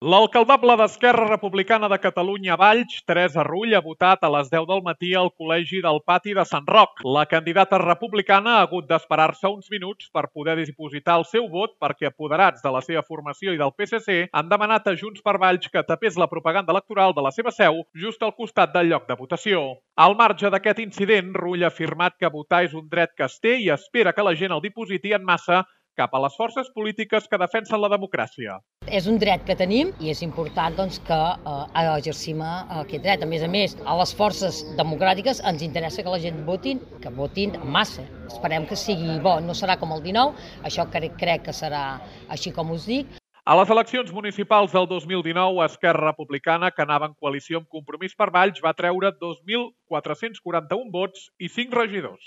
L'alcaldable d'Esquerra Republicana de Catalunya Valls, Teresa Rull, ha votat a les 10 del matí al Col·legi del Pati de Sant Roc. La candidata republicana ha hagut d'esperar-se uns minuts per poder dipositar el seu vot perquè apoderats de la seva formació i del PSC han demanat a Junts per Valls que tapés la propaganda electoral de la seva seu just al costat del lloc de votació. Al marge d'aquest incident, Rull ha afirmat que votar és un dret que es té i espera que la gent el dipositi en massa cap a les forces polítiques que defensen la democràcia. És un dret que tenim i és important que exercim aquest dret. A més, a les forces democràtiques ens interessa que la gent votin en massa. Esperem que sigui bo, no serà com el 19, això crec que serà així com us dic. A les eleccions municipals del 2019, Esquerra Republicana, que anava en coalició amb Compromís per Valls, va treure 2.441 vots i 5 regidors.